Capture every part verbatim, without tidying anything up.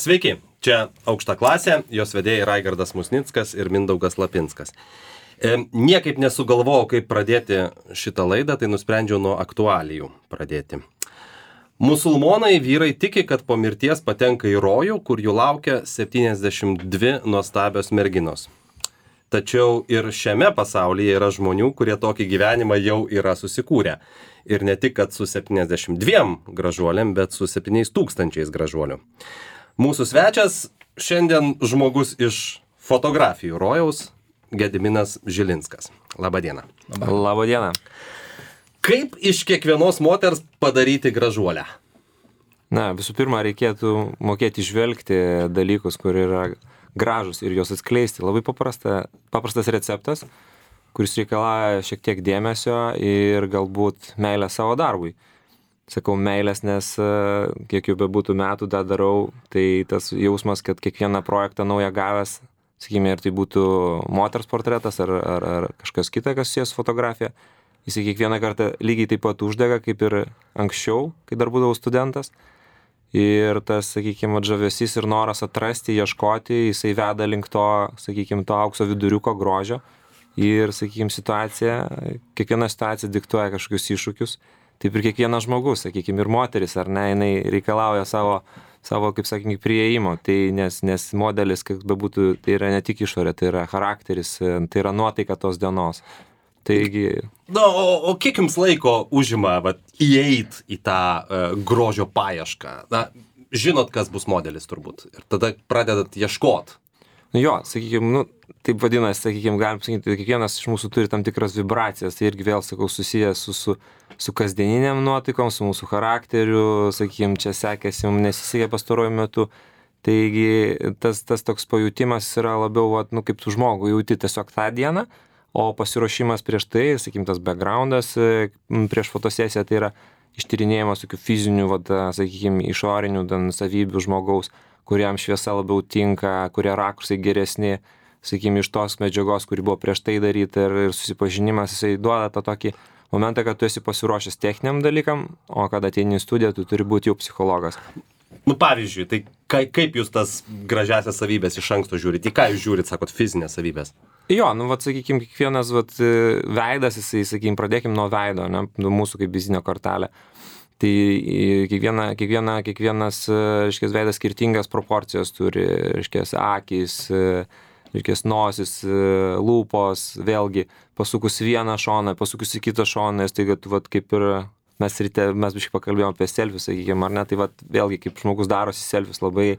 Sveiki, čia Aukšta klasė, jos vedėjai Raigardas Musnickas ir Mindaugas Lapinskas. E, niekaip nesugalvojau, kaip pradėti šitą laidą, tai nusprendžiau nuo aktualijų pradėti. Musulmonai vyrai tiki, kad po mirties patenka į rojų, kur jų laukia septyniasdešimt dvi nuostabios merginos. Tačiau ir šiame pasaulyje yra žmonių, kurie tokį gyvenimą jau yra susikūrę. Ir ne tik, kad su septyniasdešimt dviem gražuolėm, bet su septyniais tūkstančiais gražuolių. Mūsų svečias šiandien žmogus iš fotografijų rojaus, Gediminas Žilinskas. Labadiena. Labadiena. Kaip iš kiekvienos moters padaryti gražuolę? Na, visų pirma, reikėtų mokėti žvelgti dalykus, kur yra gražus ir juos atskleisti. Labai paprasta, paprastas receptas, kuris reikalauja šiek tiek dėmesio ir galbūt meilę savo darbui. Sakau meilės, nes kiek jau bebūtų metų tą darau, tai tas jausmas, kad kiekvieną projektą naują gavęs, sakykime, ir tai būtų moters portretas ar, ar, ar kažkas kita, kas susijęs fotografija, jisai kiekvieną kartą lygiai taip pat uždega, kaip ir anksčiau, kai dar būdavau studentas. Ir tas, sakykime, žavesys ir noras atrasti, ieškoti, jisai veda link to, sakykime, to aukso viduriuko grožio. Ir, sakykime, situacija, kiekviena situacija diktuoja kažkokius iššūkius. Taip ir kiekvienas žmogus, sakykime, ir moteris, ar ne, jinai reikalauja savo, savo kaip sakykime, prieimo. Tai nes, nes modelis, kaip bebūtų, tai yra ne tik išorė, tai yra charakteris, tai yra nuotaika tos dienos. Taigi... Na, o, o kiek jums laiko užima vat, įeit į tą uh, grožio paiešką? Na, žinot, kas bus modelis turbūt. Ir tada pradedat ieškot. Nu jo, sakykime, nu, taip vadinasi, sakykime, galim sakyti, kiekvienas iš mūsų turi tam tikras vibracijas. Tai irgi vėl, sakau, susijęs su, su, su kasdieniniam nuotaikom, su mūsų charakteriu, sakykime, čia sekėsi, mums nesisekė pastaruoju metu. Taigi tas, tas toks pajutimas yra labiau, vat, nu, kaip tu žmogų jauti tiesiog tą dieną. O pasiruošimas prieš tai, sakykim, tas backgroundas prieš fotosesiją, tai yra ištyrinėjimas tokių fizinių, vat, sakykim, išorinių dan, savybių žmogaus, kuriam šviesa labiau tinka, kurie rakursai geresni, sakykim, iš tos medžiagos, kuri buvo prieš tai daryti ir, ir susipažinimas, jisai duoda tą tokį momentą, kad tu esi pasiruošęs techniniam dalykam, o kada ateini į studiją, tu turi būti jau psichologas. Nu, pavyzdžiui, tai ka, kaip jūs tas gražiasias savybės iš anksto žiūrit? Į ką jūs žiūrit, sakot, fizinės savybės? Jo, nu, vat, sakykim, kiekvienas, vat, veidas, jisai, sakykim, pradėkim nuo veido, ne, nuo mūsų kaip vizinio kortelė. Tai kiekviena, kiekviena, kiekvienas, reiškia, veidas skirtingas proporcijos turi, reiškia, akys, reiškia, nosis, lūpos, vėlgi, pasukus vieną šoną, pasukus į kitą šoną, tai, kad, vat, kaip ir mes ryte, mes biškai pakalbėjom apie selfius, sakykim, ar ne, tai, vat, vėlgi, kaip žmogus darosi selfius, labai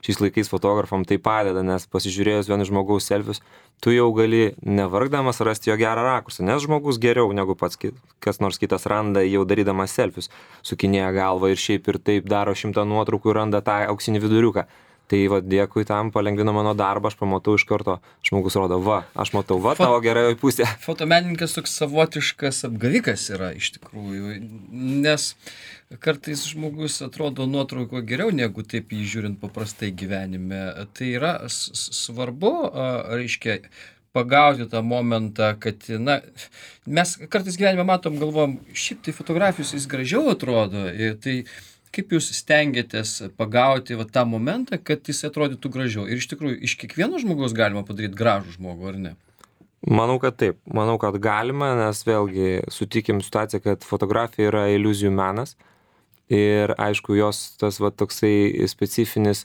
šiais laikais fotografam tai padeda, nes pasižiūrėjus vienu žmogaus selfius, tu jau gali nevargdamas rasti jo gerą rakursą, nes žmogus geriau negu pats kas nors kitas randa jau darydamas selfius, sukinėja galvą ir šiaip ir taip daro šimtą nuotraukų ir randa tą auksinį viduriuką. Tai va, dėkui tam, palengvino mano darbą, aš pamatau iš karto, žmogus rodo, va, aš matau, va, tavo geroji pusė. Fotomenininkas toks savotiškas apgavikas yra iš tikrųjų, nes kartais žmogus atrodo nuotrauko geriau negu taip jį žiūrint paprastai gyvenime. Tai yra svarbu, reiškia, pagauti tą momentą, kad, na, mes kartais gyvenime matom, galvom, šiaip tai fotografijos jis gražiau atrodo, tai kaip jūs stengiatės pagauti va, tą momentą, kad jis atrodytų gražiau? Ir iš tikrųjų, iš kiekvieno žmogaus galima padaryti gražų žmogų, ar ne? Manau, kad taip. Manau, kad galima, nes vėlgi sutikim situaciją, kad fotografija yra iliuzijų menas. Ir aišku, jos tas va, toksai specifinis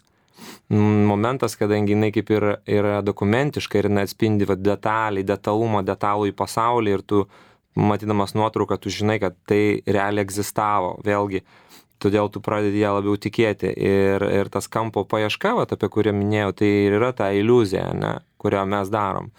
momentas, kadangi jinai kaip ir yra dokumentiška ir jinai atspindi va, detalį, detalumą, detalų į pasaulį ir tu, matydamas nuotrauką, tu žinai, kad tai realiai egzistavo. Vėlgi, todėl tu pradedi ją labiau tikėti. Ir, ir tas kampo paieška, vat, apie kurią minėjau, tai ir yra ta iliuzija, ne, kurią mes darom.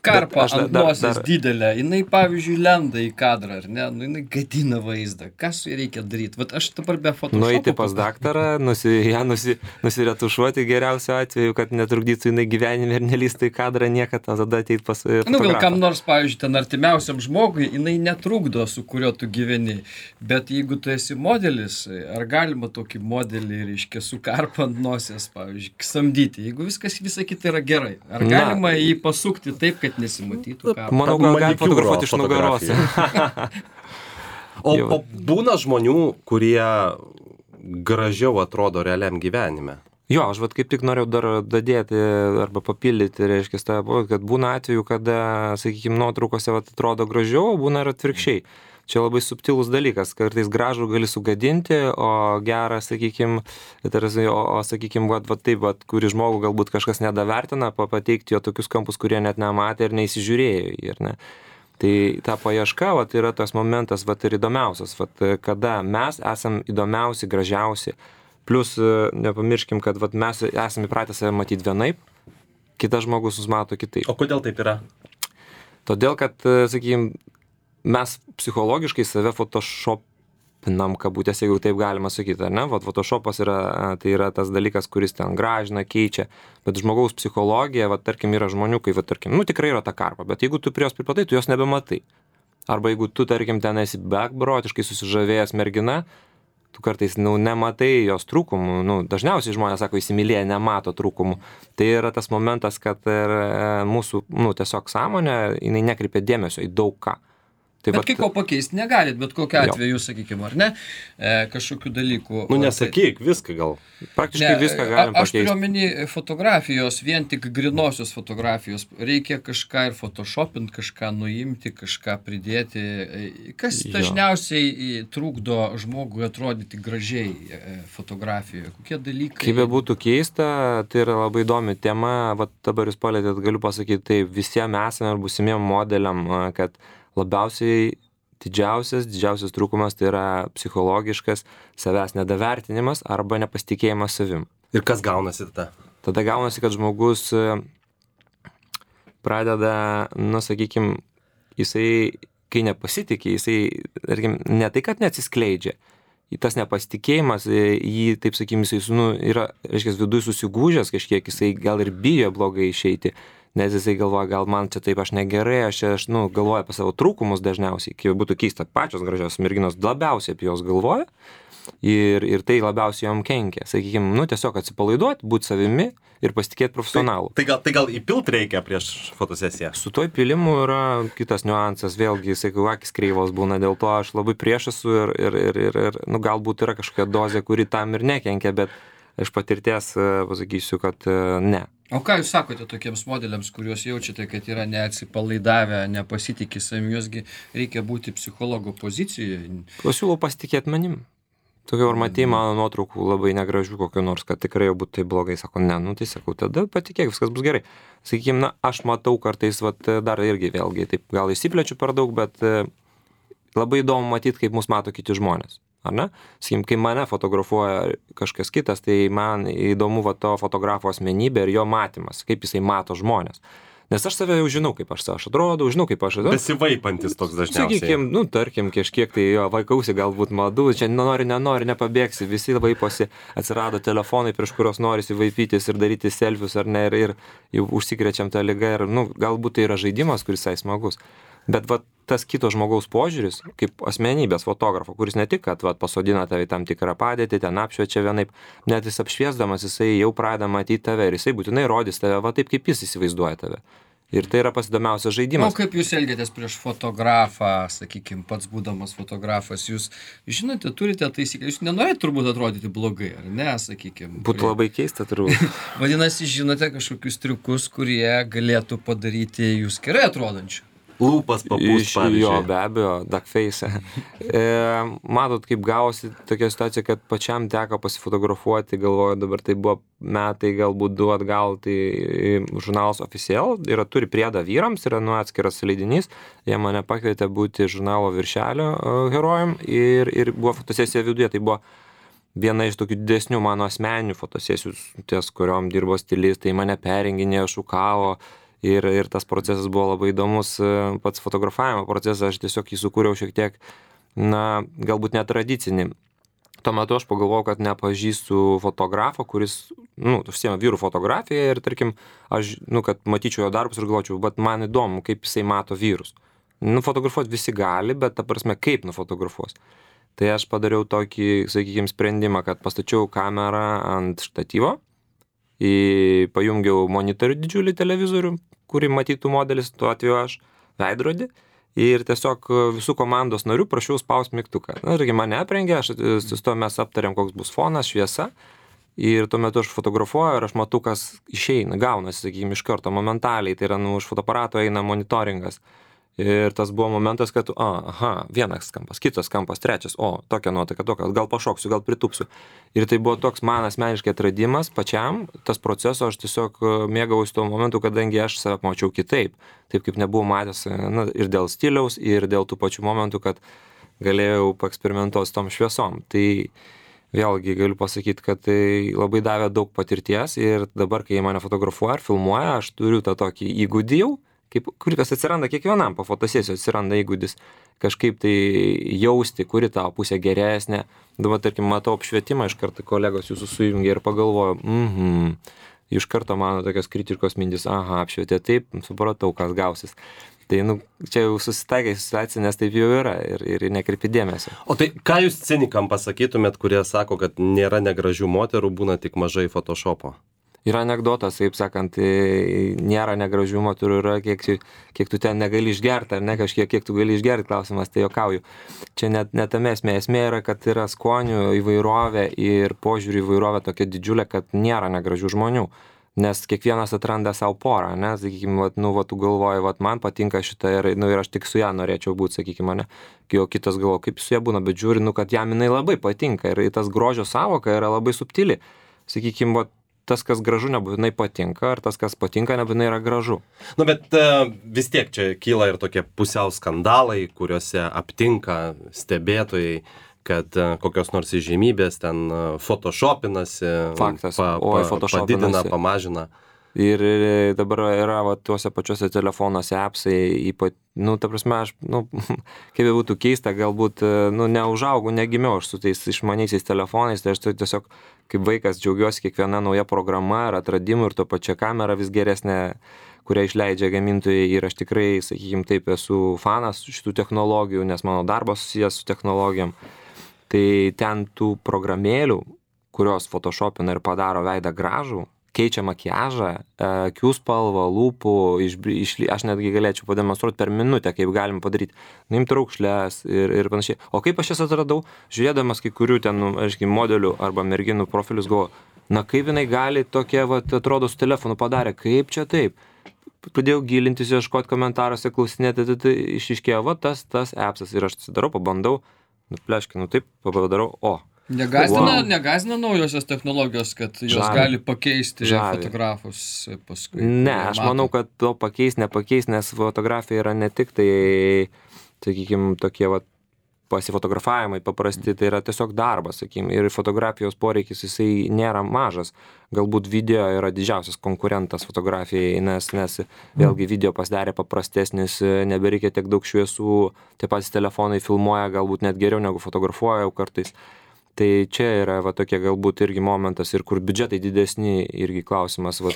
Karpa ant nosies didelė, jinai, pavyzdžiui, lenda į kadrą, ar ne? Nu, jinai gadina vaizdą. Ką su jai reikia daryti? Vat aš dabar be Photoshopo... Nueiti pas daktarą, nusi, ją nusi, nusiretušuoti geriausiu atveju, kad netrukdytų jinai gyvenime ir nelystų į kadrą niekad, tada ateit pas fotografą. Nu, gal kam nors, pavyzdžiui, ten artimiausiam žmogui, jinai netrukdo, su kuriuo tu gyveni. Bet jeigu tu esi modelis, ar galima tokį modelį, reiškia, su karpa ant nosies, pavyzdžiui, samdyti, jeigu viskas visą kita yra gerai? Ar galima jį pasukti taip, kad nesimatytų karpa? Manau, gal gali fotografuoti iš nugaros. o, o būna žmonių, kurie gražiau atrodo realiam gyvenime? Jo, aš vat kaip tik norėjau dar dadėti arba papildyti, reiškia, kad būna atveju, kada, sakykime, nuotraukose vat, atrodo gražiau, būna ir atvirkščiai. Čia labai subtilus dalykas, kartais gražų gali sugadinti, o gerą, sakykime, o, o sakykime, vat, vat taip, vat, kurį žmogų galbūt kažkas nedavertina, pateikti jo tokius kampus, kurie net nematė ir neįsižiūrėjo. Ir ne. Tai ta paieška vat, yra tas momentas vat, ir įdomiausias, vat, kada mes esam įdomiausi, gražiausi. Plus nepamirškim, kad vat, mes esame įpratę save matyti vienaip, kitas žmogus mus mato kitaip. O kodėl taip yra? Todėl, kad, sakykime, mes psichologiškai save photoshopinam, kabutės, jeigu taip galima sakyti, ar ne? Vat photoshopas yra, tai yra tas dalykas, kuris ten gražina, keičia, bet žmogaus psichologija, vat, tarkim, yra žmonių, kai, vat, tarkim, nu tikrai yra ta karpa, bet jeigu tu prie jos pripratai, tu jos nebematai. Arba jeigu tu, tarkim, ten esi beprotiškai susižavėjęs mergina, tu kartais, nu, nematai jos trūkumų, nu, dažniausiai žmonės sako, įsimylėję nemato trūkumų. Tai yra tas momentas, kad ir mūsų, nu, tiesiog sąmonė, jinai nekreipia dėmesio į daug ką. Tai bet vat, kai ko pakeisti negalit, bet kokiu atveju, sakykime, ar ne, e, kažkokių dalykų. Nu, nesakyk, viską gal. Praktiškai ne, viską galim pakeisti. Aš turiu pakeisti. omeny fotografijos, vien tik grinosios fotografijos. Reikia kažką ir photoshopinti, kažką nuimti, kažką pridėti. Kas Jo. dažniausiai trukdo žmogui atrodyti gražiai e, fotografijoje? Kokie dalykai? Kaip be būtų keista, tai yra labai įdomi tema, vat dabar jūs palėtėt, galiu pasakyti, tai visiems esame ir būsimiem modeliam, kad labiausiai didžiausias, didžiausias trūkumas tai yra psichologiškas savęs nedavertinimas arba nepasitikėjimas savim. Ir kas gaunasi tada? Tada gaunasi, kad žmogus pradeda, nu, sakykime, jisai, kai nepasitikė, jisai, tarkim, ne tai, kad neatsiskleidžia, tas nepasitikėjimas, jį, taip sakykime, jisai, nu, yra, reiškia, viduj susigūžęs kažkiek, jisai gal ir bijo blogai išeiti. Nes jisai galvoja, gal man čia taip aš negerai, aš, aš nu, galvoju apie savo trūkumus dažniausiai, kai būtų keista, pačios gražios merginos labiausiai apie jos galvoja ir, ir tai labiausiai jom kenkia. Sakykime, nu, tiesiog atsipalaiduoti, būti savimi ir pasitikėti profesionalu. Tai, tai, gal, tai gal įpilt reikia prieš fotosesiją? Su to įpilimu yra kitas niuansas, vėlgi, jisai, kai akis kreivos būna, dėl to aš labai prieš esu ir, ir, ir, ir, ir nu, galbūt yra kažkokia dozė, kuri tam ir nekenkia, bet iš patirties pasakysiu, kad ne. O ką jūs sakote tokiems modeliams, kuriuos jaučiate, kad yra neatsipalaidavę, nepasitikė savimi, juosgi reikia būti psichologo pozicijoje? Pasiūlau pasitikėti manim. Tokia ar matei mano nuotraukų labai negražių kokių nors, kad tikrai jau būtų tai blogai. Sako, ne, nu tai sakau, tada patikėk, viskas bus gerai. Sakykime, na, aš matau kartais, vat, dar irgi vėlgi, taip gal įsiplečiu per daug, bet labai įdomu matyti, kaip mus mato kiti žmonės. Ar ne? Sakykim, kai mane fotografuoja kažkas kitas, tai man įdomu va to fotografo asmenybė ir jo matymas, kaip jisai mato žmonės. Nes aš save jau žinau, kaip aš, aš atrodau, žinau, kaip aš atrodau. Besivaipantis toks dažniausiai. Sakykim, nu, tarkim, kažkiek tai jo vaikausi galbūt madų, čia nenori, nenori, nepabėgsi, visi vaiposi, atsirado telefonai, prieš kurios norisi vaipytis ir daryti selfius, ar ne, ir, ir jau užsikrečiam tą ligą, ir, nu, galbūt tai yra žaidimas, kuris visai smagus. Bet va, tas kito žmogaus požiūris, kaip asmenybės fotografo, kuris ne tik, kad va, pasodina tave į tam tikrą padėtį, ten apšviečia vienaip, net jis apšviesdamas, jisai jau pradeda matyti tave ir jisai būtinai rodys tave va taip, kaip jis įsivaizduoja tave. Ir tai yra pats įdomiausias žaidimas. O kaip jūs elgiatės prieš fotografą, sakykime, pats būdamas fotografas, jūs žinote, turite taisyklę, jūs nenorite turbūt atrodyti blogai, ar ne, sakykime. Būtų labai keista turbūt. Vadinasi, žinote kažkokius triukus, kurie galėtų padaryti jūs gerai atrodančių. Lūpas papūst, pavyzdžiui. Jo, be abejo, duckface. e, matot, kaip gausi tokia situacija, kad pačiam teko pasifotografuoti, galvoju, dabar tai buvo metai, galbūt du atgal, tai žurnalas Official, yra, turi priedą vyrams, yra nu atskiras leidinys, jie mane pakvietė būti žurnalo viršelio herojum ir, ir buvo fotosesija viduje, tai buvo viena iš tokių didesnių mano asmeninių fotosesijų, ties kuriom dirbo stilistai, mane perenginėjo, šukavo. Ir, ir tas procesas buvo labai įdomus, pats fotografavimo procesas, aš tiesiog jį sukūriau šiek tiek, na, galbūt netradicinį. Tuo metu aš pagalvojau, kad nepažįstu fotografo, kuris, nu, užsiema vyrų fotografiją ir, tarkim, aš, nu, kad matyčiau jo darbus ir galvočiau, bet man įdomu, kaip jisai mato vyrus. Nufotografuoti visi gali, bet ta prasme, kaip nufotografuos. Tai aš padariau tokį, sakykime, sprendimą, kad pastačiau kamerą ant štatyvo, į, pajungiau monitorių didžiulį televizorių, kurį matytų modelis, tuo atveju aš, veidrodį, ir tiesiog visų komandos narių prašiau spaust mygtuką. Na, irgi mane aprengė, aš su to mes aptarėm, koks bus fonas, šviesa, ir tuo metu aš fotografuoju ir aš matau, kas išeina, gaunasi, sakykime, iš karto, momentaliai, tai yra, nu, už fotoaparato eina monitoringas. Ir tas buvo momentas, kad, a, aha, vienas kampas, kitas kampas, trečias, o, tokia nuotaika, tokia, gal pašoksiu, gal pritupsiu. Ir tai buvo toks man asmeniškai atradimas pačiam, tas proceso, aš tiesiog mėgaujuosi tuo momentu, kadangi aš save mačiau kitaip, taip kaip nebuvau matęs, na, ir dėl stiliaus, ir dėl tų pačių momentų, kad galėjau paeksperimentuoti su tom šviesom. Tai vėlgi galiu pasakyti, kad tai labai davė daug patirties ir dabar, kai mane fotografuoja ar filmuoja, aš turiu tą tokį įgūdį jau, kaip, kuris atsiranda kiekvienam, po fotosesijos atsiranda įgūdis kažkaip tai jausti, kuri tavo pusė geresnė. Dabar, tarkim, matau apšvietimą, iš karto kolegos jūsų sujungia ir pagalvoju, mhm, iš karto mano tokios kritiškos mintis, aha, apšvietė taip, supratau, kas gausis. Tai, nu, čia jau susitaikai situacija, nes taip jau yra ir, ir nekreipi dėmesio. O tai ką jūs cinikam pasakytumėt, kurie sako, kad nėra negražių moterų, būna tik mažai Photoshopo? Yra anekdotas, taip sakant, nėra negražių moterų, yra kiek, kiek tu ten negali išgerti, ar ne kažkiek, kiek tu gali išgerti, klausimas, tai juokauju. Čia net, net tame esmė, esmė yra, kad yra skonių įvairovė ir požiūrių įvairovė tokia didžiulė, kad nėra negražių žmonių. Nes kiekvienas atranda savo porą, ne, sakykime, vat, nu, vat, tu galvoji, vat, man patinka šitą ir, nu, ir aš tik su ją norėčiau būti, sakykime, ne, o kitas galvoja, kaip su ją būna, bet žiūri, nu, kad jam jinai labai patinka ir tas grožio savoka yra labai subtili, sakykime, vat, tas, kas gražu, nebūtinai patinka, ar tas, kas patinka, nebūtinai yra gražu. Nu, bet uh, vis tiek čia kyla ir tokie pusiau skandalai, kuriuose aptinka stebėtojai, kad uh, kokios nors įžymybės ten uh, photoshopinasi, Faktas. pa, Oi, pa, photoshopinasi. padidina, pamažina. Ir, ir dabar yra va, tuose pačiuose telefonuose appsai, ypat, nu, ta prasme, aš, nu, kaip jau būtų keista, galbūt, nu, neužaugau, negimiau aš su tais išmaniaisiais telefonais, tai aš tai tiesiog kaip vaikas džiaugiuosi kiekviena nauja programa ir atradimu ir to pačia kamera vis geresnė, kurią išleidžia gamintojai ir aš tikrai, sakykime, taip esu fanas šitų technologijų, nes mano darbas susijęs su technologijom. Tai ten tų programėlių, kurios photoshopina ir padaro veidą gražų, keičia makiažą, akių spalvą, lūpų, iš, iš, aš netgi galėčiau pademonstruoti per minutę, kaip galim padaryti, nuimti raukšles ir, ir panašiai. O kaip aš jas atradau, žiūrėdamas kai kurių ten, aiškiai, modelių arba merginų profilius, galvoju, na kaip jinai gali tokie, va, atrodo, su telefonu padarė, kaip čia taip. Pradėjau gilintis, ieškoti komentaruose, klausinėti, tai, tai išiškėjo, va, tas, tas appsas ir aš atsidarau, pabandau, nupleškiu, nu taip, padarau, o. Negazdina, Wow. negazdina naujosios technologijos, kad jos Žavi. gali pakeisti Žavi. fotografus paskui. Ne, kurie aš mato. manau, kad to pakeis, nepakeis, nes fotografija yra ne tik tai, sakykime, tokie va, pasifotografavimai paprasti, tai yra tiesiog darbas, sakykime, ir fotografijos poreikis jisai nėra mažas. Galbūt video yra didžiausias konkurentas fotografijai, nes, nes vėlgi video pasidarė paprastesnis, nebereikia tiek daug šviesų, tie patys telefonai filmuoja galbūt net geriau negu fotografuoja jau kartais. Tai čia yra va tokie galbūt irgi momentas ir kur biudžetai didesni irgi klausimas. Va.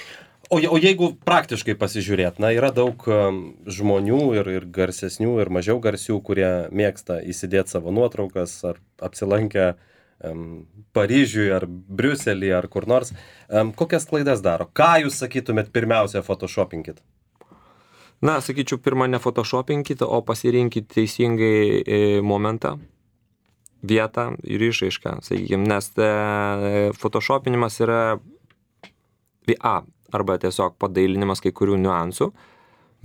O, je- o jeigu praktiškai pasižiūrėt, na, yra daug um, žmonių ir, ir garsesnių, ir mažiau garsių, kurie mėgsta įsidėti savo nuotraukas ar apsilankę um, Paryžiui ar Briuselį ar kur nors. Um, kokias klaidas daro? Ką jūs sakytumėt pirmiausia photoshopinkit? Na, sakyčiau, pirmą ne photoshopinkit, o pasirinkit teisingai e, momentą, vietą ir išraišką, sakykime, nes e, photoshopinimas yra A, arba tiesiog padailinimas kai kurių niuansų,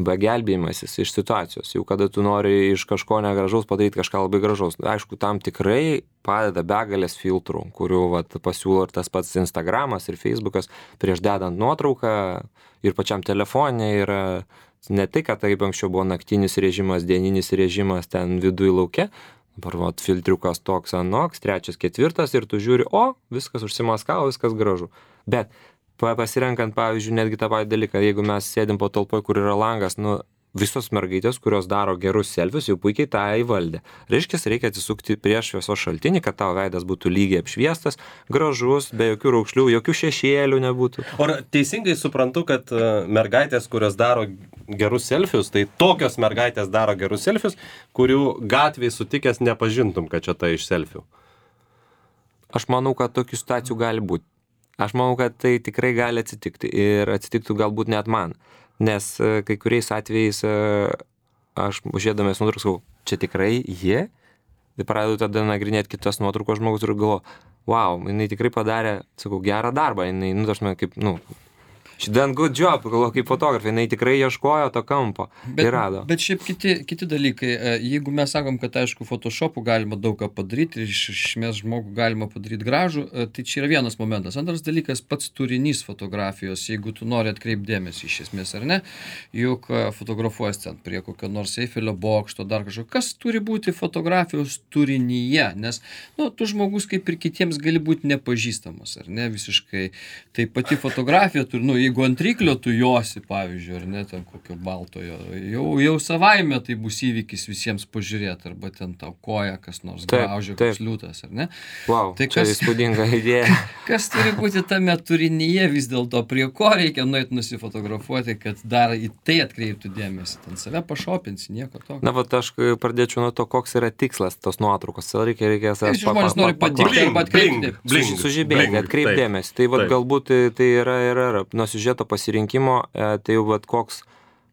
B, gelbėjimasis iš situacijos, jau kada tu nori iš kažko negražaus padaryti kažką labai gražaus. Aišku, tam tikrai padeda begalės filtrų, kurių vat, pasiūlo ir tas pats Instagramas ir Facebookas, prieš dedant nuotrauką ir pačiam telefone yra ne tai, kad taip anksčiau buvo naktinis režimas, dieninis režimas ten viduj lauke, dabar vat, filtriukas toks anoks, trečias, ketvirtas ir tu žiūri, o, viskas užsimaskavo, viskas gražu. Bet pasirenkant, pavyzdžiui, netgi tą patį dalyką, jeigu mes sėdim patalpoje, kur yra langas, nu, visos mergaitės, kurios daro gerus selfius, jau puikiai tą įvaldė. Reiškia, reikia atsisukti prieš šviesos šaltinį, kad tavo veidas būtų lygiai apšviestas, gražus, be jokių raukšlių, jokių šešėlių nebūtų. O ar teisingai suprantu, kad uh, mergaitės, kurios daro gerus selfius, tai tokios mergaitės daro gerus selfius, kurių gatvėje sutikęs nepažintum, kad čia ta iš selfių? Aš manau, kad tokių situacijų gali būti. Aš manau, kad tai tikrai gali atsitikti ir atsitiktų galbūt net man, nes kai kuriais atvejais aš žiūrėdamas nuotraukas, čia tikrai jie, tai pradedu tada nagrinėti kitas nuotraukos žmogus ir galvoju, wow, jinai tikrai padarė, sakau, gerą darbą, jinai, nu, aš man kaip, nu, she done good job, galvoju, kaip fotografė, jinai tikrai ieškojo to kampo Bet, ir rado. bet šiaip kiti, kiti dalykai, e, jeigu mes sakom, kad aišku, Photoshopu galima daug ką padaryti ir iš esmės žmogų galima padaryti gražų, e, tai čia yra vienas momentas. Antras dalykas, pats turinys fotografijos, jeigu tu nori atkreipdėmėsi iš esmės ar ne, juk e, fotografuojas ten prie kokio nors Eifelio bokšto, dar kažko, kas turi būti fotografijos turinyje, nes, nu, tu žmogus kaip ir kitiems gali būti nepažįstamas, ar ne, visiškai. Tai pati fotografija turi, nu, jeigu ant ryklio tu josi, pavyzdžiui, ar ne, ten kokio baltojo, jau, jau savaime tai bus įvykis visiems pažiūrėti, arba ten tau koja kas nors graužia, koks liūtas, ar ne? Wow, tai čia kas, įspūdinga idėja. Kas turi būti tame turinyje vis dėlto, prie ko reikia nueit nusifotografuoti, kad dar į tai atkreiptų dėmesį, ten save pašopinsi, nieko tokio. Na, vat aš pradėčiau nuo to, koks yra tikslas tos nuotraukos. Reikia, reikia Tai žmonės nori patikti arba atkreipti. Sužibėti, atkreipdėmės. Tai vat galbūt tai yra, yra, yra nuo siužeto pasirinkimo, tai jau vat koks,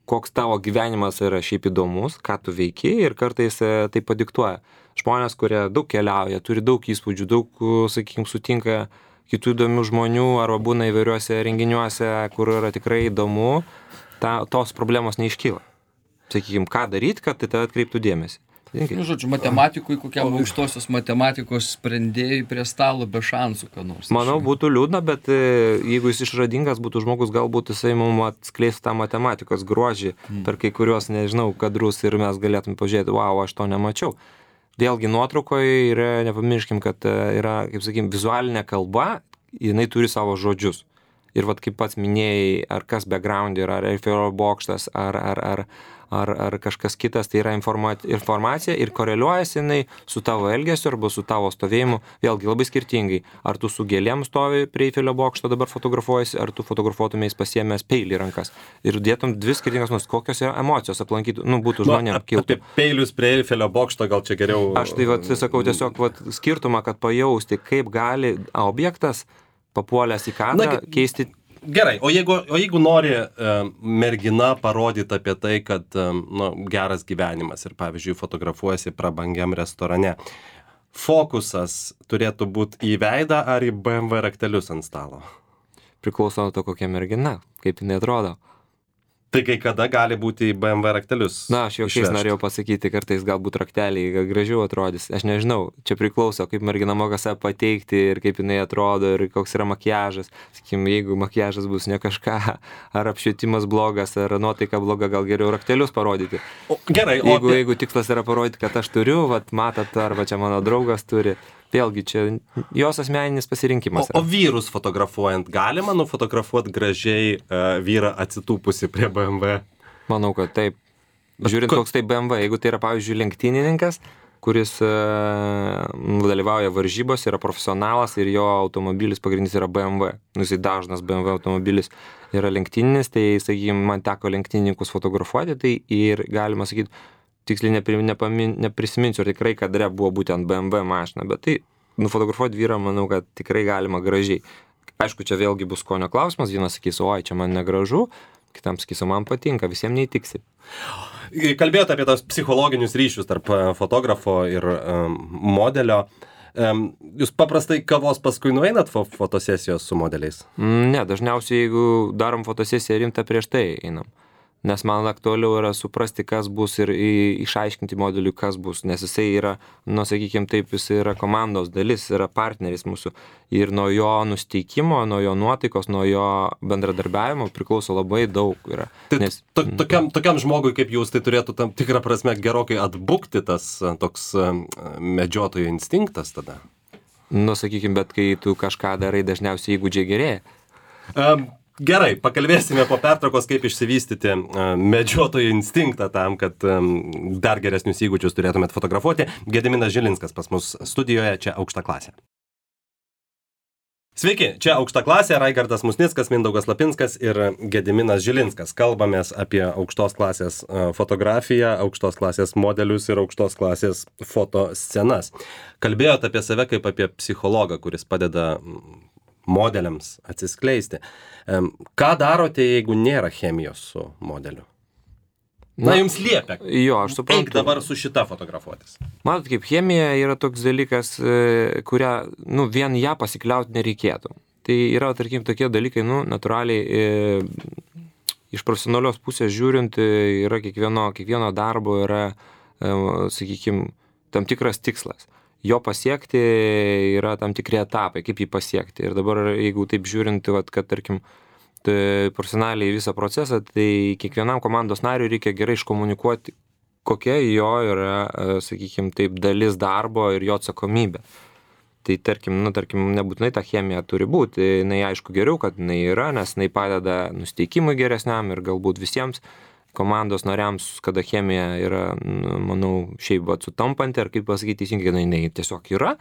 koks tavo gyvenimas yra šiaip įdomus, ką tu veiki ir kartais tai padiktuoja. Žmonės, kurie daug keliauja, turi daug įspūdžių, daug, sakykime, sutinka kitų įdomių žmonių arba būna įvairiuose renginiuose, kur yra tikrai įdomu, ta, tos problemos neiškyla. Sakykime, ką daryti, kad tai tave atkreiptų dėmesį. Nu, žodžiu, matematikui, kokiam aukštosios matematikos sprendėjai prie stalo be šansų, ką nors. Manau, būtų liūdna, bet jeigu jis išradingas būtų žmogus, galbūt jisai mums atskleistų tą matematikos grožį mm. per kai kuriuos, nežinau, kadrus ir mes galėtume pažiūrėti, wow, aš to nemačiau. Vėlgi nuotraukoje yra, nepamirškim, kad yra, kaip sakykim, vizualinė kalba, jinai turi savo žodžius. Ir vat kaip pats minėjai, ar kas background yra, ar Eifelio bokštas, ar, ar, ar, ar, ar kažkas kitas, tai yra informacija ir koreliuojasi jinai su tavo elgesiu arba su tavo stovėjimu, vėlgi labai skirtingai. Ar tu su gėlėm stovi prie Eifelio bokšto dabar fotografuojasi, ar tu fotografuotumės pasiėmęs peilį į rankas. Ir dėtum dvi skirtingas nus, kokios yra emocijos aplankytų, nu, būtų žmonėm kiltų. Apie peilius prie Eifelio bokšto gal čia geriau. Aš tai vat, sakau tiesiog vat, skirtumą, kad pajausti, kaip gali objektas papuolęs į kadrą keisti. Gerai, o jeigu, o jeigu nori uh, mergina parodyti apie tai, kad um, nu, geras gyvenimas ir, pavyzdžiui, fotografuojasi prabangiam restorane, fokusas turėtų būti į veidą ar į B M W raktelius ant stalo? Priklauso nuo to, kokia mergina, kaip jinai atrodo. Tai kai kada gali būti į B M W raktelius? Na, aš jau šiais norėjau pasakyti, kartais galbūt rakteliai gražiau atrodys. Aš nežinau, čia priklauso, kaip mergina moka save pateikti ir kaip jinai atrodo ir koks yra makiažas. Sakykim, jeigu makiažas bus ne kažką, ar apšvietimas blogas, ar nuotaika bloga, gal geriau raktelius parodyti. O, gerai, jeigu, o... jeigu tikslas yra parodyti, kad aš turiu, vat matot, arba čia mano draugas turi. Vėlgi, čia jos asmeninis pasirinkimas. O, o vyrus fotografuojant, galima nufotografuoti gražiai uh, vyrą atsitūpusi prie B M W? Manau, kad taip. Žiūrint, koks tai B M W, jeigu tai yra, pavyzdžiui, lenktynininkas, kuris uh, dalyvauja varžybos, yra profesionalas ir jo automobilis pagrindinis yra B M W. Nu, jisai dažnas B M W automobilis yra lenktyninis, tai, sakykime, man teko lenktynininkus fotografuoti, tai ir galima sakyti, tiksliai neprisiminsiu, ar tikrai kadre buvo būtent B M W mašina, bet tai nufotografuoti vyrą, manau, kad tikrai galima gražiai. Aišku, čia vėlgi bus skonio klausimas, vienas sakys, oi, čia man negražu, kitam sakys, man patinka, visiems neįtiksi. Kalbėjote apie tos psichologinius ryšius tarp fotografo ir um, modelio. Um, jūs paprastai kavos paskui nueinat fo fotosesijos su modeliais? Ne, dažniausiai, jeigu darom fotosesiją rimtą, prieš tai einam. Nes man aktualiau yra suprasti, kas bus ir išaiškinti modeliui, kas bus, nes jisai yra, nu, sakykime taip, jisai yra komandos dalis, yra partneris mūsų ir nuo jo nusteikimo, nuo jo nuotaikos, nuo jo bendradarbiavimo priklauso labai daug yra. Tai nes, to, tokiam, tokiam žmogui kaip jūs, tai turėtų tam tikrą prasme gerokai atbukti tas toks medžiotojo instinktas tada? Nu, sakykime, bet kai tu kažką darai, dažniausiai įgūdžiai gerėja. Um, Gerai, pakalbėsime po pertraukos, kaip išsivystyti uh, medžiotojo instinktą tam, kad um, dar geresnius įgūdžius turėtumėt fotografuoti. Gediminas Žilinskas pas mus studijoje, čia Aukšta klasė. Sveiki, čia Aukšta klasė, Raigardas Musnickas, Mindaugas Lapinskas ir Gediminas Žilinskas. Kalbamės apie aukštos klasės uh, fotografiją, aukštos klasės modelius ir aukštos klasės fotoscenas. Kalbėjot apie save kaip apie psichologą, kuris padeda modeliams atsiskleisti. Ką darote, jeigu nėra chemijos su modeliu? Na, jums liepia. Jo, aš suprantu. Eik dabar su šita fotografuotis. Matot, kaip chemija yra toks dalykas, e, kurią, nu, vien ją pasikliauti nereikėtų. Tai yra, tarkim, tokie dalykai, nu, natūraliai, e, iš profesionalios pusės žiūrint, e, yra kiekvieno, kiekvieno darbo yra, e, sakykime, tam tikras tikslas. Jo pasiekti yra tam tikri etapai, kaip jį pasiekti. Ir dabar, jeigu taip žiūrint, vat, kad, tarkim, tai profesionaliai visą procesą, tai kiekvienam komandos nariui reikia gerai iškomunikuoti, kokia jo yra, sakykime, taip, dalis darbo ir jo atsakomybė. Tai tarkim, nu, tarkim, nebūtinai ta chemija turi būti, jinai aišku geriau, kad jinai yra, nes jinai padeda nusteikimui geresniam ir galbūt visiems komandos nariams, kada chemija yra, nu, manau, šiaip vat sutampanti, ar kaip pasakyti teisingai, jinai tiesiog yra,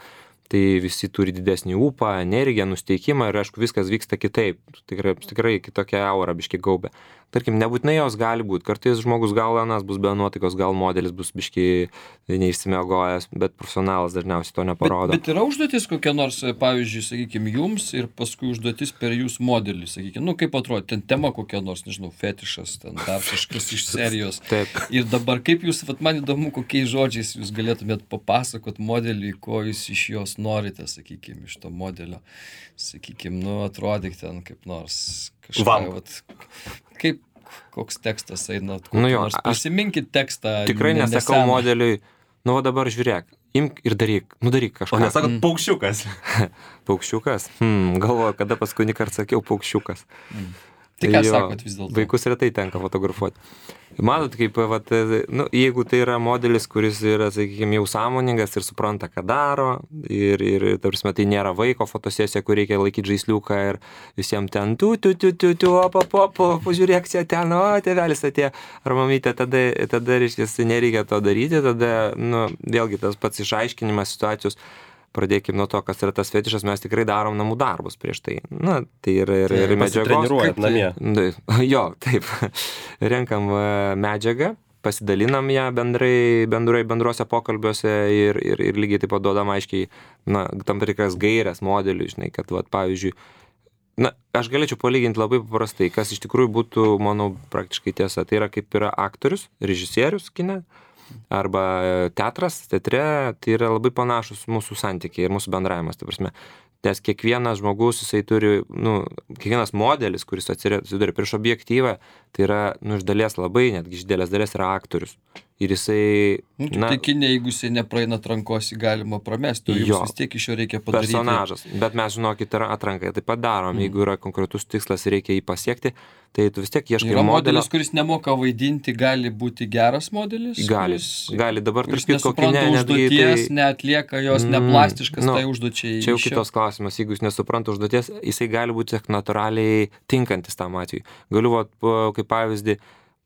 tai visi turi didesnį ūpą, energiją, nusteikimą ir aišku viskas vyksta kitaip, tikrai, tikrai kitokia aura biški gaubė. Tarkim, nebūtinai jos gali būti, kartais žmogus gal anas bus be nuotaikos, gal modelis bus biški neišsimiegojęs, bet profesionalas dažniausiai to neparodo. Bet, bet yra užduotis kokia nors, pavyzdžiui, sakykime, jums ir paskui užduotis per jūsų modelį, sakykime, nu kaip atrodo, ten tema kokia nors, nežinau, fetišas, ten dar kažkas iš serijos. Taip. Ir dabar kaip jūs, vat, man įdomu, kokiais žodžiais jūs galėtumėt papasakot modelį, ko jūs iš jos norite, sakykime, iš to modelio, sakykime, nu atrodyk ten kaip nors kažką, vat, kaip, koks tekstas eina, nu jo, nors prisiminkit tekstą. Tikrai ne, nesakau neseną. Modeliui, nu va dabar žiūrėk, imk ir daryk, nu daryk kažką. O nesakot mm. paukščiukas. Paukščiukas? Hmm, galvoju, kada paskutinį kartą sakiau paukščiukas. Mm. Tai ką sakot vis dėlto? Vaikus retai tenka fotografuoti. Matot, kaip, vat, nu, jeigu tai yra modelis, kuris yra, sakykime, jau sąmoningas ir supranta, ką daro, ir, ir tarsi, tai nėra vaiko fotosesija, kur reikia laikyti žaisliuką ir visiems ten tu, tu, tu, tu, tu, opa, opa, pažiūrėk čia ten, o, tėvelis atėjo, ar mamytė, tada, tada, reiškia, nereikia to daryti, tada, nu, vėlgi tas pats išaiškinimas situacijos. Pradėkime nuo to, kas yra tas fetišas, mes tikrai darom namų darbus prieš tai. Na, tai yra ir, ir medžiagos. Pasitreniruojat namie. Jo, taip. Renkam medžiagą, pasidalinam ją bendrai, bendrai bendruose pokalbiuose ir, ir, ir lygiai taip pat duodam aiškiai, na, tam tikras gairias modeliui, žinai, kad, vat, pavyzdžiui, na, aš galėčiau palyginti labai paprastai, kas iš tikrųjų būtų, manau, praktiškai tiesa. Tai yra kaip yra aktorius, režisierius kine, arba teatras, teatre, tai yra labai panašus mūsų santykiai ir mūsų bendravimas, tai prasme. Nes kiekvienas žmogus, jisai turi, nu, kiekvienas modelis, kuris atsiduria prieš objektyvą, tai yra, nu, iš dalies labai, netgi iš didelės dalies yra aktorius. Ir jisai... Nu, na, tai kinė, jeigu jisai nepraeina atrankos, jį galima pramesti, o jums vis tiek iš jo reikia padaryti. Personažas, bet mes, žinokit, atranką taip pat darom, mm. jeigu yra konkretus tikslas ir reikia jį pasiekti, tai tu vis tiek ieškai yra modelio. Modelis, kuris nemoka vaidinti, gali būti geras modelis? Gali, kuris, gali. Dabar kuris tarp kitko nesupranta kine, užduoties, tai... neatlieka jos, mm, neplastiškas, nu, tai užduočiai. Čia jau kitos klausimas, jeigu jis nesupranta užduoties, jisai gali būti natūraliai tinkantis tam atveju. Galiu, vat, kaip pavyzdį,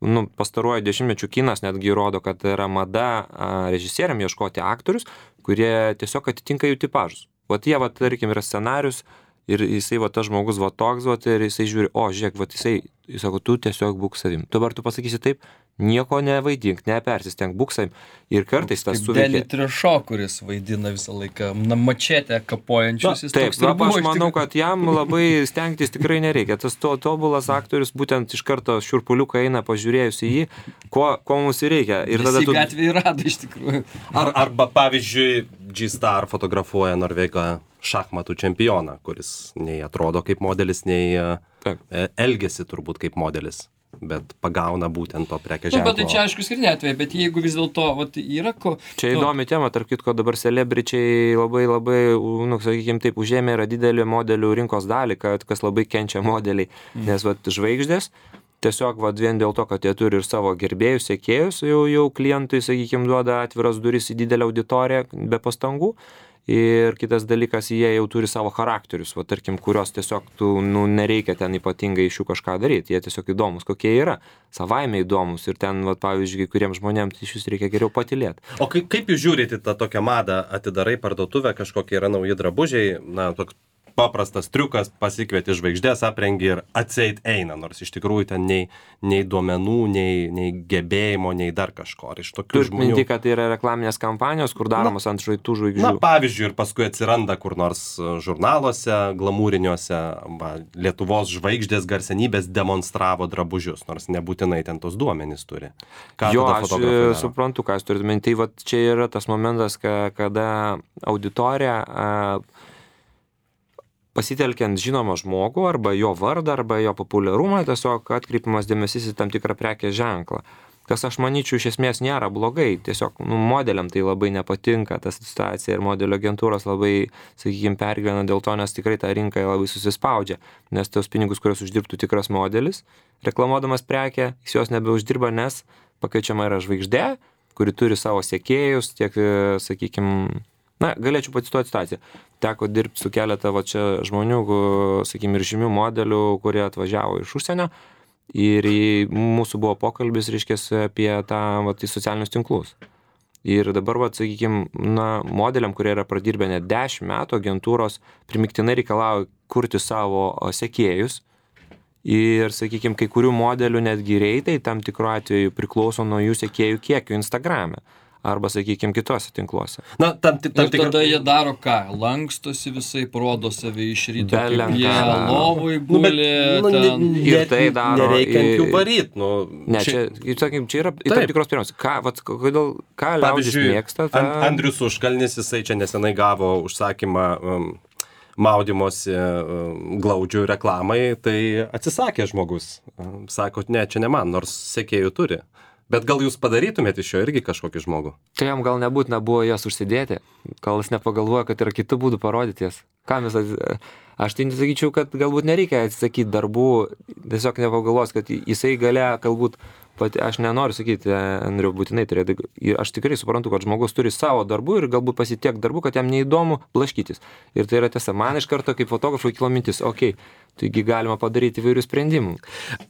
nu, pastaruoju dešimtmečių kinas netgi rodo, kad yra mada režisieriam ieškoti aktorius, kurie tiesiog atitinka jų tipažus. Vat jie, vat, tarkim, yra scenarius ir jisai, vat, tas žmogus, vat, toks, vat, ir jisai žiūri, o, žiūrėk, vat, jisai, jis sako, tu tiesiog būk savim. Dabar tu pasakysi taip, nieko nevaidink, nepersistenk, būk savim. Ir kartais tas suveikia. Deni Trešo, kuris vaidina visą laiką na, mačetę kapojančius. Na, taip, na, aš manau, kad jam labai stengtis tikrai nereikia. Tas to, tobulas aktorius būtent iš karto šiurpuliuką eina pažiūrėjus į jį, ko, ko mums ir reikia. Ir tada tu... gatvėje rado iš tikrųjų. Ar, arba, pavyzdžiui, G-Star fotografuoja Norvegą šachmatų čempioną, kuris nei atrodo kaip modelis, nei taip. Elgiasi turbūt kaip modelis. Bet pagauna būtent to prekės ženklo. Nu, bet tai čia aišku skirtinė atveju, bet jeigu vis dėlto vat, yra ko... Čia įdomi tema, tarp kitko dabar celebričiai labai labai, nu, sakykime taip, užėmė yra didelį modelių rinkos dalį, kad kas labai kenčia modeliai, mm. nes vat, žvaigždės, tiesiog vat, vien dėl to, kad jie turi ir savo gerbėjus, sekėjus, jau, jau klientui, sakykime, duoda atviras duris į didelę auditoriją be pastangų. Ir kitas dalykas, jie jau turi savo charakterius, va, tarkim, kurios tiesiog tu, nu, nereikia ten ypatingai iš jų kažką daryti, jie tiesiog įdomus, kokie yra, savaime įdomus ir ten, va, pavyzdžiui, kuriems žmonėms iš jūs reikia geriau patylėti. O kaip, kaip jūs žiūrite tą tokią madą, atidarai parduotuvę, kažkokie yra nauji drabužiai, na, toks paprastas triukas, pasikvieti žvaigždės, aprengi ir atseit eina, nors iš tikrųjų ten nei, nei duomenų, nei, nei gebėjimo, nei dar kažko. Ar iš tokių Turit žmonių... minti, kad tai yra reklaminės kampanijos, kur daromos ant žvaigždžių žvaigždžių. Na, pavyzdžiui, ir paskui atsiranda kur nors žurnaluose, glamūriniuose, va, Lietuvos žvaigždės garsenybės demonstravo drabužius, nors nebūtinai ten tos duomenys turi. Ką Jo, tada aš fotografai daro? suprantu, ką jūs turite minti. Tai vat čia yra tas momentas, ka, kada auditorija a, pasitelkiant žinomą žmogų arba jo vardą, arba jo populiarumą, tiesiog atkreipiamas dėmesys į tam tikrą prekės ženklą. Kas aš manyčiau iš esmės nėra blogai, tiesiog nu, modeliam tai labai nepatinka ta situacija ir modelio agentūros labai, sakykime, pergyvena dėl to, nes tikrai ta rinka labai susispaudžia, nes tos pinigus, kurios uždirbtų tikras modelis, reklamuodamas prekę, jis jos nebeuždirba, nes pakeičiama yra žvaigždė, kuri turi savo sekėjus, tiek, sakykime, na, galėčiau pacituoti situaciją. Teko dirbti su keletą va čia žmonių, sakykime, ir žymių modelių, kurie atvažiavo iš užsienio. Ir mūsų buvo pokalbis, reiškės, apie tą, va, tai socialinius tinklus. Ir dabar, va, sakykime, na, modeliam, kurie yra pradirbę net dešimt metų, agentūros primiktinai reikalauja kurti savo sekėjus. Ir, sakykime, kai kurių modelių netgi reitai tam tikru atveju priklauso nuo jų sekėjų kiekio Instagrame. Arba, sakykime, kitose tinkluose. Na, tam, tam, Ir tikra... tada jie daro ką? Lankstosi visai, parodo save iš ryto, Be kaip jie lenkaro. lovoj Nu, bet, guli. nu, ne- ten. Ir tai daro, Nereikia ant jų ir- varyt, nu. Ne, čia, čia, sakykim, čia yra tam Taip. tikros priemonės. Ką, vat, kodėl, ką liaudis Pavyzdžiui, mėgsta? Ta... An- Andrius Užkalnis, jisai čia nesenai gavo užsakymą um, maudymosi um, glaudžių reklamai, tai atsisakė žmogus. Um, Sako, ne, čia ne man, nors sekėjų turi. Bet gal jūs padarytumėte iš jo irgi kažkokį žmogų? Tai jam gal nebūtina buvo jas užsidėti, gal jis nepagalvoja, kad yra kitų būdų parodyti jas. Kam jis, aš tai nesakyčiau, kad galbūt nereikia atsisakyti darbų, tiesiog nepagalvos, kad jisai galėjo galbūt, pat, aš nenoriu sakyti, Andriu, būtinai turėtų, aš tikrai suprantu, kad žmogus turi savo darbų ir galbūt pasitiek darbų, kad jam neįdomu blaškytis. Ir tai yra tiesa, man iš karto kaip fotografui kilo mintis, okei, okay, taigi galima padaryti įvairių sprendimų.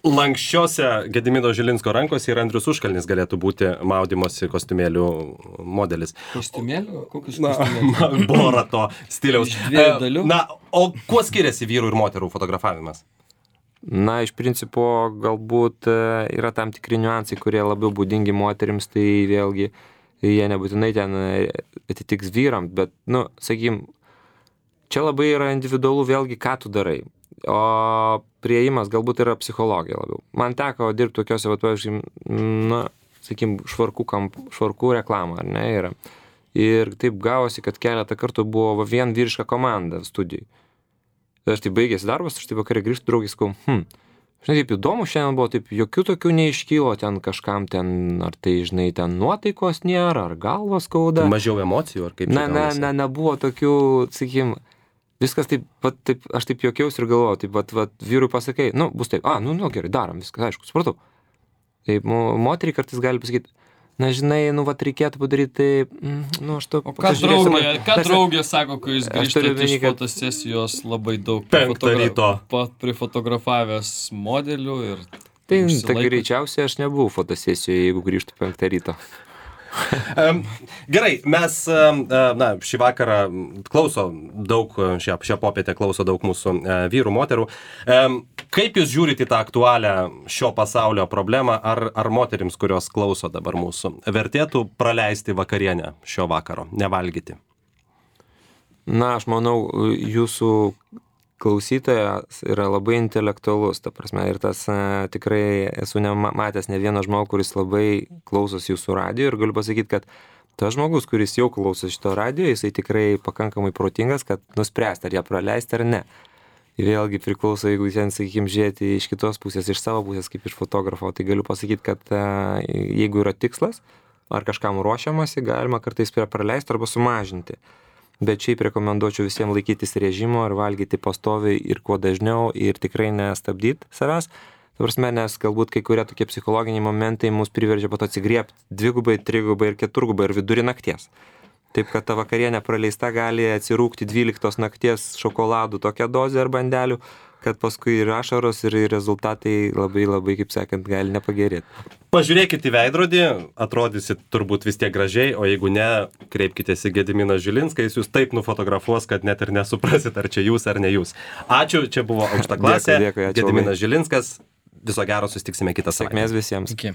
Lankščiose Gedimino Žilinsko rankose ir Andrius Užkalnis galėtų būti maudymosi kostiumėlių modelis. Kostiumėlių? Kokius Na, kostiumėlius? Bora to stiliaus. Iš dviejų dalių? Na, o kuo skiriasi vyrų ir moterų fotografavimas? Na, iš principo, galbūt e, yra tam tikri niuansai, kurie labiau būdingi moterims, tai vėlgi jie nebūtinai ten e, atitiks vyrams, bet, nu, sakykim, čia labai yra individualu vėlgi, ką tu darai. O priėjimas galbūt yra psichologija labiau. Man teko dirbti tokiuose, va, pavyzdžiui, na, sakykim, švarkų, kamp, švarkų reklamą, ar ne, yra. Ir taip gavosi, kad keletą kartų buvo va, vien vyriška komanda studijai. Aš taip baigėsi darbas, aš taip vakarė grįžtu, draugis, sakau, hm, žinai, taip įdomu, šiandien buvo taip, jokių tokių neiškylo ten kažkam ten, ar tai, žinai, ten nuotaikos nėra, ar galvos skauda. Mažiau emocijų, ar kaip? Na, na, na, nebuvo tokių, sakykim, viskas taip, pat, taip, aš taip jokiausi ir galvojau, taip, vat, vat, vyrui pasakai, nu, bus taip, a, nu, nu, gerai, darom, viskas, aišku, supratau. Taip, mo- moteriai kartais gali pasakyti, na, žinai, nu, vat, reikėtų padaryti, taip, mm, nu, aš to... O ką draugė, ką draugė sako, kai jūs Aš turiu grįžtate iš omeny, kad- fotosesijos labai daug Penktą ryto. pat prifotografavęs modelių ir... Tai, tai užsilaikot? greičiausiai aš nebuvau fotosesijoje, jeigu grįžtų penktą ryto. Em, Gerai, mes, em, e, na, šį vakarą klauso daug, šią, šią popietę klauso daug mūsų e, vyrų, moterų. Em, Kaip jūs žiūrite į tą aktualią šio pasaulio problemą, ar, ar moterims, kurios klauso dabar mūsų, vertėtų praleisti vakarienę šio vakaro, nevalgyti? Na, aš manau, jūsų klausytojas yra labai intelektualus, ta prasme, ir tas e, tikrai esu nematęs ne vieną žmogų, kuris labai klausos jūsų radijo ir galiu pasakyti, kad tas žmogus, kuris jau klauso šito radijo, jisai tikrai pakankamai protingas, kad nuspręsti, ar ją praleisti ar ne. Vėlgi priklauso, jeigu ten, sakykime, žiūrėti iš kitos pusės, iš savo pusės, kaip iš fotografo, tai galiu pasakyti, kad e, jeigu yra tikslas, ar kažkam ruošiamasi, galima kartais praleisti arba sumažinti. Bet šiaip rekomenduočiau visiems laikytis režimo ir valgyti pastoviai ir kuo dažniau ir tikrai nestabdyti savęs. Ta prasme, nes galbūt kai kurie tokie psichologiniai momentai mus priverčia po to atsigriebti dvigubai, trigubai ir keturgubai ir vidurį nakties. Taip, kad ta vakarienė praleista gali atsirūkti dvyliktos nakties šokoladų tokią dozę ar bandelių, kad paskui ir ašaros, ir rezultatai labai labai, kaip sakant, gali nepagerėti. Pažiūrėkit į veidrodį, atrodysit turbūt vis tiek gražiai, o jeigu ne, kreipkitės į Gediminą Žilinską, jis jūs taip nufotografuos, kad net ir nesuprasit, ar čia jūs, ar ne jūs. Ačiū, čia buvo Aukšta klasė. Dėkui, dėkui, ačiū Gediminas Žilinskas, viso gero, susitiksime kitą savaitę. Sėkmės visiems. Iki.